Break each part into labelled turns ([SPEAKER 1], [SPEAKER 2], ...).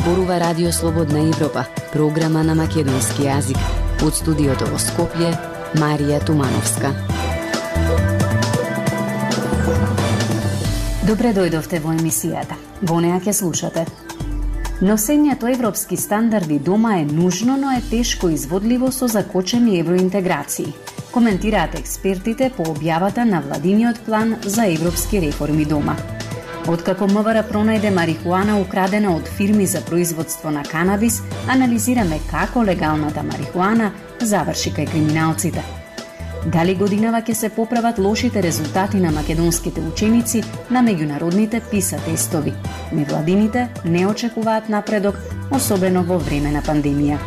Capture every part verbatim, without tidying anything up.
[SPEAKER 1] зборува Радио Слободна Европа, програма на македонски јазик. Од студиото во Скопје, Марија Тумановска.
[SPEAKER 2] Добре дојдовте во емисијата. Во неа ќе слушате. Носењето европски стандарди дома е нужно, но е тешко изводливо со закочени евроинтеграции. Коментираат експертите по објавата на владиниот план за европски реформи дома. Откако МВР пронајде марихуана украдена од фирми за производство на канабис, анализираме како легалната марихуана заврши кај криминалците. Дали годинава ќе се поправат лошите резултати на македонските ученици на меѓународните PISA тестови? Невладините не очекуваат напредок, особено во време на пандемија.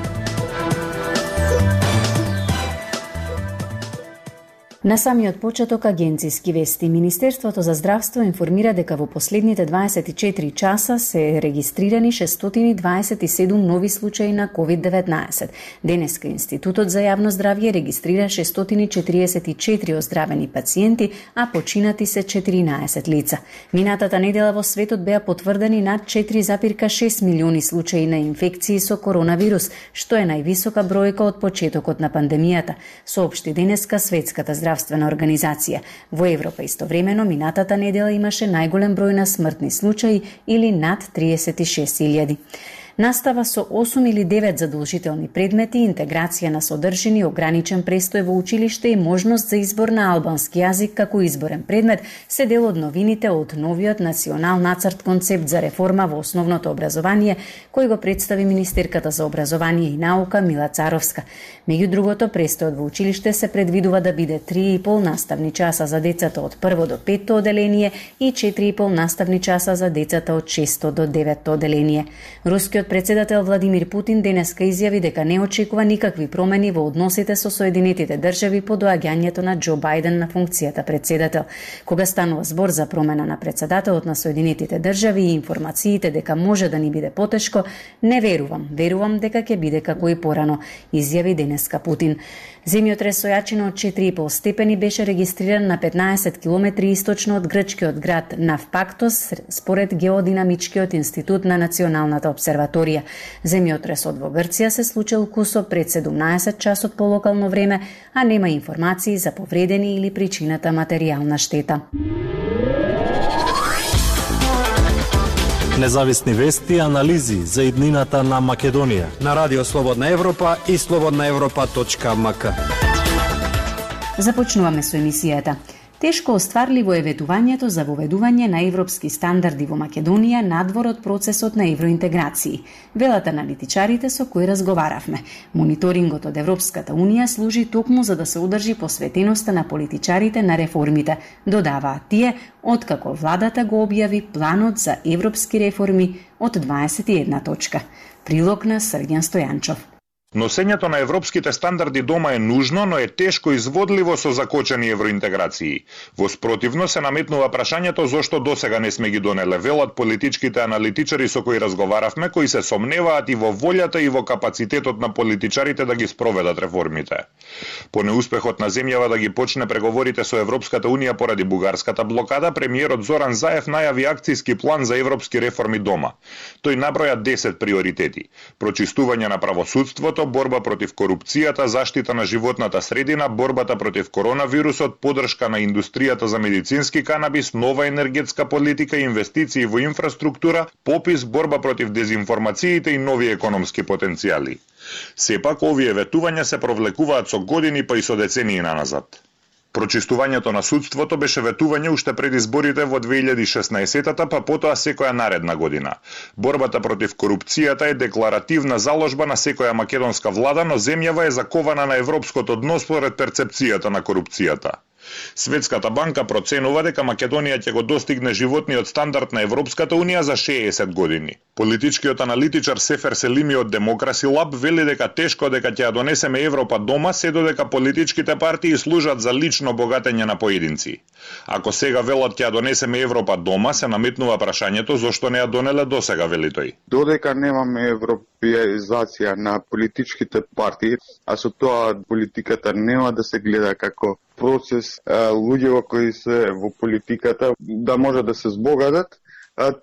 [SPEAKER 2] На самиот почеток агенциски вести. Министерството за здравство информира дека во последните дваесет и четири часа се регистрирани шестстотини дваесет и седум нови случаи на ковид деветнаесет. Денеска Институтот за јавно здравје регистрира шестстотини четириесет и четири оздравени пациенти, а починати се четиринаесет лица. Минатата недела во светот беа потврдени над четири запирка шест милиони случаи на инфекции со коронавирус, што е највисока бројка од почетокот на пандемијата, соопшти денеска Светската здравствена организација. Во Европа истовремено минатата недела имаше најголем број на смртни случаи или над триесет и шест илјади. Настава со осум или девет задолжителни предмети, интеграција на содржини, ограничен престој во училиште и можност за избор на албански јазик како изборен предмет се дел од новините од новиот национал нацрт концепт за реформа во основното образование, кој го представи министерката за образование и наука Мила Царовска. Меѓу другото, престојот во училиште се предвидува да биде три и пол наставни часа за децата од прво до петто оделение и четири и пол наставни часа за децата од шесто до деветто оделение. Рускиот председател Владимир Путин денеска изјави дека не очекува никакви промени во односите со Соединетите држави по доаѓањето на Џо Бајден на функцијата председател. Кога станува збор за промена на председателот на Соединетите држави и информациите дека може да ни биде потешко, не верувам, верувам дека ќе биде како и порано, изјави денеска Путин. Земјотрес со јачина од четири и пол степени беше регистриран на петнаесет километри источно од грчкиот град Навпактос, според Геодинамичкиот институт на Националната обсерваторија. Земјотресот во Грција се случил кусо пред седумнаесет часот по локално време, а нема информации за повредени или причината материјална штета.
[SPEAKER 3] Независни вести и анализи за иднината на Македонија
[SPEAKER 4] на Радио Слободна Европа и слободна европа точка ем ка.
[SPEAKER 2] Започнуваме со емисијата. Тешко остварливо е ветувањето за воведување на европски стандарди во Македонија надвор од процесот на евроинтеграции. Велат аналитичарите со кои разговаравме. Мониторингот од Европската Унија служи токму за да се одржи посветеноста на политичарите на реформите, додаваат тие, откако владата го објави планот за европски реформи од дваесет и една точка. Прилог на Срѓан Стојанчов.
[SPEAKER 5] Носењето на европските стандарди дома е нужно, но е тешко изводливо со закочени евроинтеграции. Во спротивно се наметнува прашањето зошто досега не сме ги донеле, велат политичките аналитичари со кои разговаравме, кои се сомневаат и во волјата и во капацитетот на политичарите да ги спроведат реформите. По неуспехот на земјава да ги почне преговорите со Европската Унија поради бугарската блокада, премиерот Зоран Заев најави акцијски план за европски реформи дома. Тој наброја десет приоритети: прочистување на правосудството, борба против корупцијата, заштита на животната средина, борбата против коронавирусот, подршка на индустријата за медицински канабис, нова енергетска политика, инвестиции во инфраструктура, попис, борба против дезинформациите и нови економски потенцијали. Сепак, овие ветувања се провлекуваат со години па и со децении наназад. Прочистувањето на судството беше ветување уште пред изборите во две илјади и шеснаесетта, па потоа секоја наредна година. Борбата против корупцијата е декларативна заложба на секоја македонска влада, но земјава е закована на европското дно според перцепцијата на корупцијата. Светската банка проценува дека Македонија ќе го достигне животниот стандард на Европската Унија за шеесет години. Политичкиот аналитичар Сефер Селими од Демокраси Лаб вели дека тешко дека ќе ја донесеме Европа дома, се додека политичките партии служат за лично богатење на поединци. Ако сега велат ќе ја донесеме Европа дома, се наметнува прашањето зошто не ја донеле досега, вели тој.
[SPEAKER 6] Додека немаме европеизација на политичките партии, а со тоа политиката нема да се гледа како процес, луѓето кои се во политиката да може да се збогатат,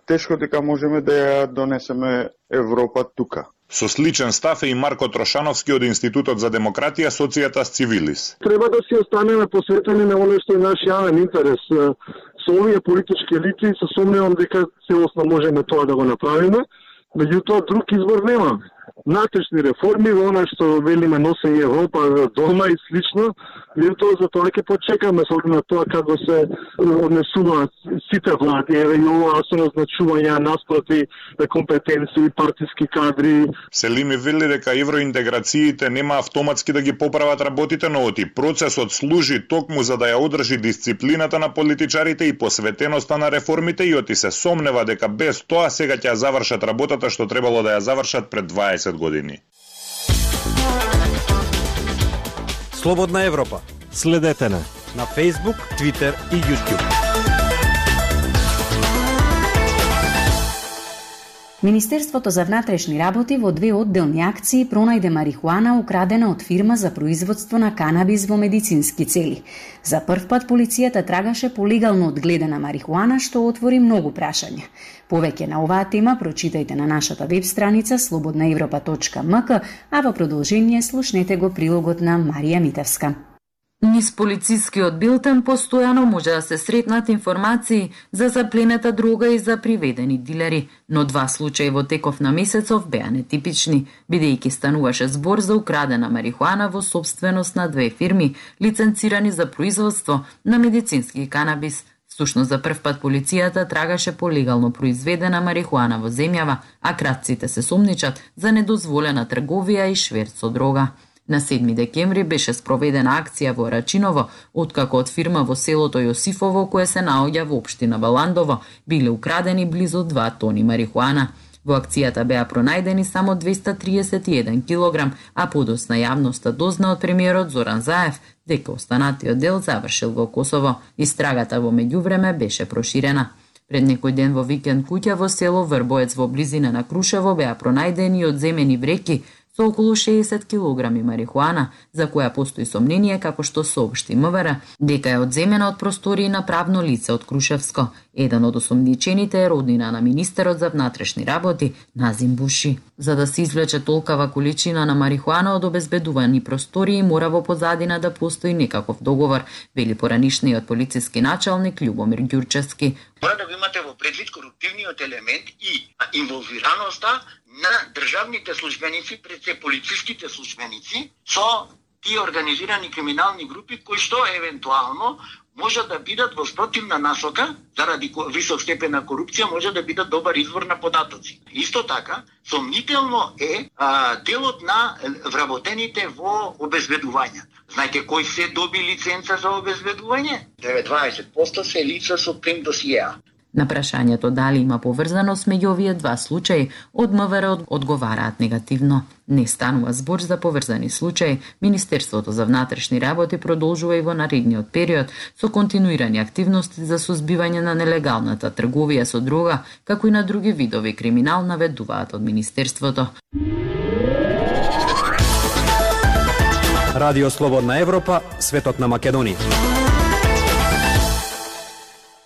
[SPEAKER 6] тешко дека можеме да ја донесеме Европа тука.
[SPEAKER 5] Со сличен став е и Марко Трошановски од Институтот за демократија, Социјатас Цивилис.
[SPEAKER 7] Треба да си останеме посветени на оно што е наш јавен интерес. Со овие политички елити се сомневам дека целосно можеме тоа да го направиме, меѓутоа друг избор немаме. Натрешни реформи, она што велиме носење Европа дома и слично, меѓутоа за тоа ќе почекаме со оглед на тоа како се однесуваат сите влади, еве и ова со назначување наспроти компетенции, партиски кадри.
[SPEAKER 5] Селими вели дека евроинтеграциите нема автоматски да ги поправат работите, но оти процесот служи токму за да ја одржи дисциплината на политичарите и посветеноста на реформите и оти се сомнева дека без тоа сега ќе ја завршат работата што требало да ја завршат пред дваесет години.
[SPEAKER 4] Слободна Европа.
[SPEAKER 3] Следете на
[SPEAKER 4] на Facebook, Twitter и YouTube.
[SPEAKER 2] Министерството за внатрешни работи во две одделни акции пронајде марихуана украдена од фирма за производство на канабис во медицински цели. За прв пат полицијата трагаше по легално одгледана марихуана, што отвори многу прашања. Повеќе на оваа тема прочитајте на нашата веб страница слободна европа точка ем ка, а во продолжение слушнете го прилогот на Марија Митевска.
[SPEAKER 8] Низ полицискиот билтен постојано може да се сретнат информации за запленета дрога и за приведени дилери, но два случаи во теков на месецов беа нетипични, бидејќи стануваше збор за украдена марихуана во собственост на две фирми, лиценцирани за производство на медицински канабис. Всушност за прв пат полицијата трагаше по легално произведена марихуана во земјава, а кратците се сомничат за недозволена трговија и шверц со дрога. На седми декември беше спроведена акција во Рачиново, откако од фирма во селото Јосифово, кое се наоѓа во општина Баландово, биле украдени близу два тони марихуана. Во акцијата беа пронајдени само двеста триесет и еден килограм, а подоцна јавноста дозна од премиерот Зоран Заев дека останатиот дел завршил во Косово. Истрагата во меѓувреме беше проширена. Пред некој ден во викенд куќа во село Врбоец во близина на Крушево беа пронајдени одземени вреќи со околу шеесет килограми марихуана, за која постои сомнение, како што соопшти МВР, дека е одземена од простории на правно лице од Крушевско. Еден од осомничените е роднина на министерот за внатрешни работи Назим Буши. За да се извлече толкава количина на марихуана од обезбедувани простории, мора во позадина да постои некаков договор, вели поранишниот полициски началник Љубомир Ѓурчевски.
[SPEAKER 9] Мора да го имате во предвид коруптивниот елемент и инволвираноста на државните службеници, пред се полициските службеници, со тие организирани криминални групи кои што евентуално може да бидат во спротивна насока, заради висок степен на корупција, може да бидат добар извор на податоци. Исто така, сомнително е а, делот на вработените во обезбедувања. Знаете кои се доби лиценца за обезбедување? деветнаесет проценти се лица со прим досиеа.
[SPEAKER 8] На прашањето дали има поврзаност меѓу овие два случаи, од МВР одговараат негативно. Не станува збор за поврзани случаи. Министерството за внатрешни работи продолжува и во наредниот период со континуирани активности за сузбивање на нелегалната трговија со дрога, како и на други видови криминал, наведуваат од Министерството.
[SPEAKER 4] Радио Слободна Европа, светот на Македонија.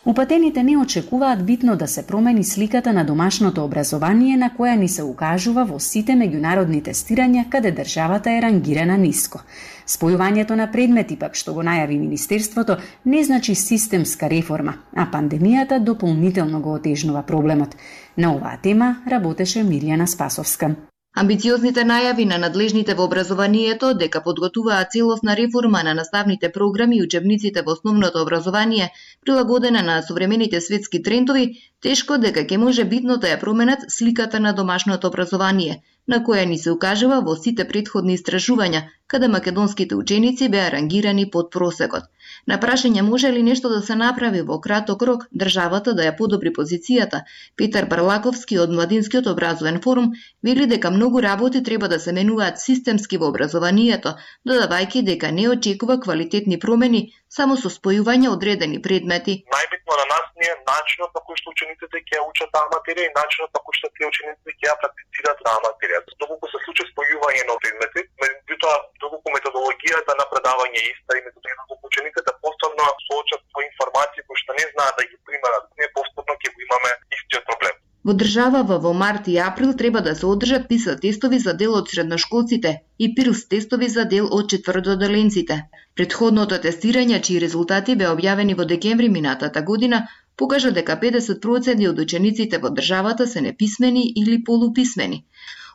[SPEAKER 2] Упатените не очекуваат битно да се промени сликата на домашното образование на која ни се укажува во сите меѓународни тестирања каде државата е рангирана ниско. Спојувањето на предмети пак што го најави Министерството не значи системска реформа, а пандемијата дополнително го отежнува проблемот. На оваа тема работеше Мирјана Спасовска.
[SPEAKER 10] Амбициозните најави на надлежните во образованието дека подготуваат целосна реформа на наставните програми и учебниците во основното образование, прилагодена на современите светски трендови, тешко дека ќе може битно да ја променат сликата на домашното образование, на која ни се укажува во сите претходни истражувања, каде македонските ученици беа рангирани под просекот. На прашање може ли нешто да се направи во краток рок државата да ја подобри позицијата, Петар Барлаковски од Младинскиот образовен форум вели дека многу работи треба да се менуваат системски во образованието, додавајќи дека не очекува квалитетни промени само со спојување одредени предмети.
[SPEAKER 11] Најбитно на нас не е начинот на кој што учениците ќе ја учат таа материја и начинот на кој што тие ученици ќе ја практицираат таа материја. Доколку се случи спојување на предмети, меѓутоа доколку методологијата на предавање е иста и методологијата доколку учениците повторно соочат со информации кои што не знаат да ги примерат, не повторно ќе го имаме истиот
[SPEAKER 10] Во државава во март и април треба да се одржат писа тестови за дел од средношколците и пирс тестови за дел од четвртоделенците. Предходното тестирање, чии резултати беа објавени во декември минатата година, покажа дека педесет проценти од учениците во државата се неписмени или полуписмени.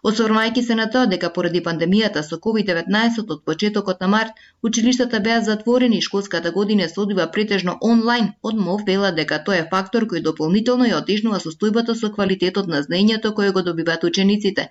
[SPEAKER 10] Осврмајќи се на тоа дека поради пандемијата со ковид деветнаесет од почетокот на март, училиштата беа затворени и школската година се одвива претежно онлайн, од МОВ вела дека тоа е фактор кој дополнително ја отежнува состојбата со квалитетот на знаењето кое го добиваат учениците.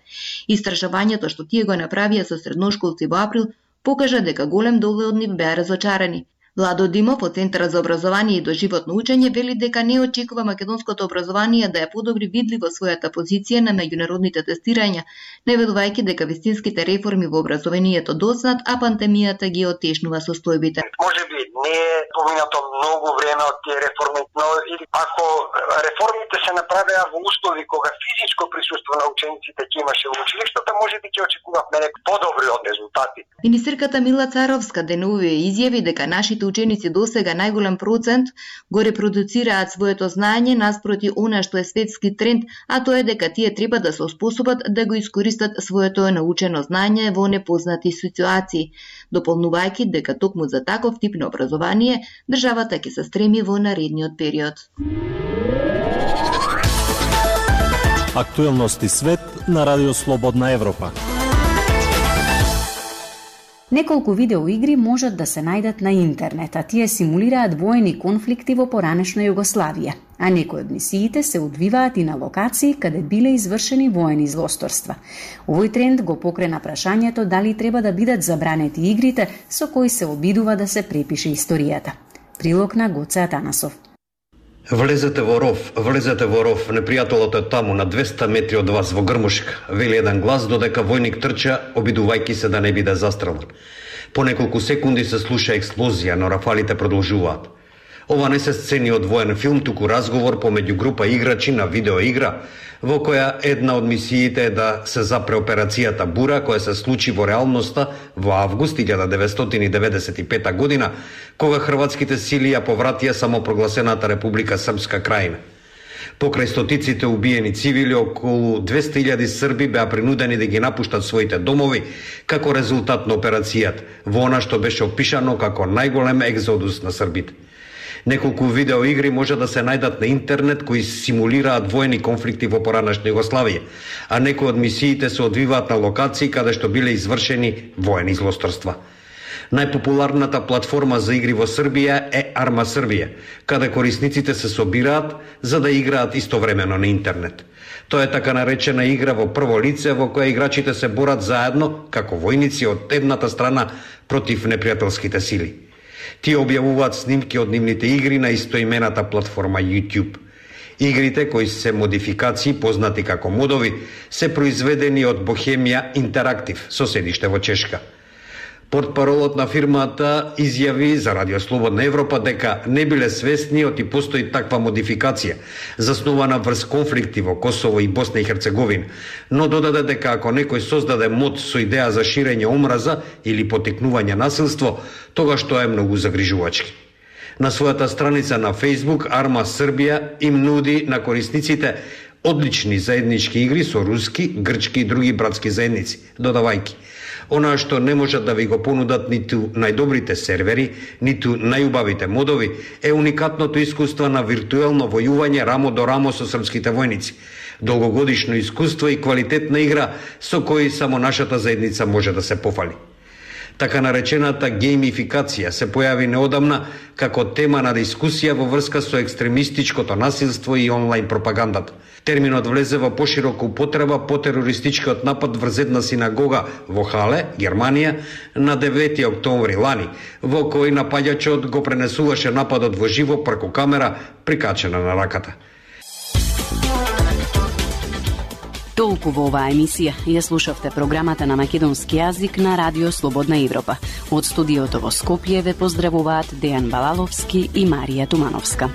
[SPEAKER 10] Истражувањето што тие го направија со средношколци во април покажа дека голем дел од нив беа разочарани. Владо Димов од Центарот за образование и доживотно учење вели дека не очекува македонското образование да ја подобри видливо својата позиција на меѓународните тестирања, наведувајќи дека вистинските реформи во образованието доцнат, а пандемијата ги отешнува состојбите.
[SPEAKER 12] Можеби не е поминато многу време од тие реформи, но или ако реформите се направеа во услови кога физичко присуство на учениците ќе имаше во училиштата, можеби ќе очекувавме некои подобри од резултати.
[SPEAKER 10] Министерката Мила Царовска денувија изјави дека нашите ученици досега најголем процент го репродуцираат своето знаење наспроти она што е светски тренд, а тоа е дека тие треба да се оспособат да го искористат своето научено знаење во непознати ситуации, дополнувајќи дека токму за таков тип на образование државата ќе се стреми во наредниот период.
[SPEAKER 3] Актуелности свет на Радио Слободна Европа.
[SPEAKER 2] Неколку видеоигри можат да се најдат на интернет, а тие симулираат воени конфликти во поранешна Југославија, а некои од мисиите се одвиваат и на локации каде биле извршени воени злосторства. Овој тренд го покрена прашањето дали треба да бидат забранети игрите со кои се обидува да се препише историјата. Прилог на Гоце Атанасов.
[SPEAKER 4] Влезете во ров, влезете во ров, непријателот е таму на двеста метри од вас во грмушка, вели еден глас додека војник трча, обидувајќи се да не биде застрелен. По неколку секунди се слуша експлозија, но рафалите продолжуваат. Ова не се сцени од воен филм, туку разговор помеѓу група играчи на видеоигра, во која една од мисиите е да се запре операцијата Бура, која се случи во реалноста во август илјада деветстотини деветдесет и пета година, кога хрватските сили ја повратија самопрогласената Република Српска крајина. Покрај стотиците убиени цивили, околу двесте илјади срби беа принудени да ги напуштат своите домови како резултат на операцијата, во она што беше опишано како најголем екзодус на србите. Неколку видеоигри може да се најдат на интернет кои симулираат воени конфликти во поранешна Југославија, а некои од мисиите се одвиваат на локации каде што биле извршени воени злосторства. Најпопуларната платформа за игри во Србија е Арма Србија, каде корисниците се собираат за да играат истовремено на интернет. Тоа е така наречена игра во прво лице во која играчите се борат заедно како војници од едната страна против непријателските сили. Тие објавуваат снимки од нивните игри на истоимената платформа YouTube. Игрите, кои се модификации познати како модови, се произведени од Bohemia Interactive, со седиште во Чешка. Портпаролот на фирмата изјави за Радио Слободна Европа дека не биле свесни оти постои таква модификација, заснувана врз конфликти во Косово и Босна и Херцеговина, но додаде дека ако некој создаде мод со идеја за ширење омраза или потикнување насилство, тогаш тоа е многу загрижувачки. На својата страница на Facebook, Арма Србија им нуди на корисниците одлични заеднички игри со руски, грчки и други братски заедници, додавајки: она што не можат да ви го понудат ниту најдобрите сервери, ниту најубавите модови, е уникатното искуство на виртуелно војување рамо до рамо со српските војници, долгогодишно искуство и квалитетна игра со кои само нашата заедница може да се пофали. Така наречената геймификација се појави неодамна како тема на дискусија во врска со екстремистичкото насилство и онлайн пропагандата. Терминот влезе во поширока употреба по терористичкиот напад врз една синагога во Хале, Германија, на девети октомври лани, во кој напаѓачот го пренесуваше нападот во живо преку камера прикачена на раката.
[SPEAKER 1] Толку во оваа емисија ја слушавте програмата на македонски јазик на Радио Слободна Европа. Од студиото во Скопје ве поздравуваат Дејан Балаловски и Марија Тумановска.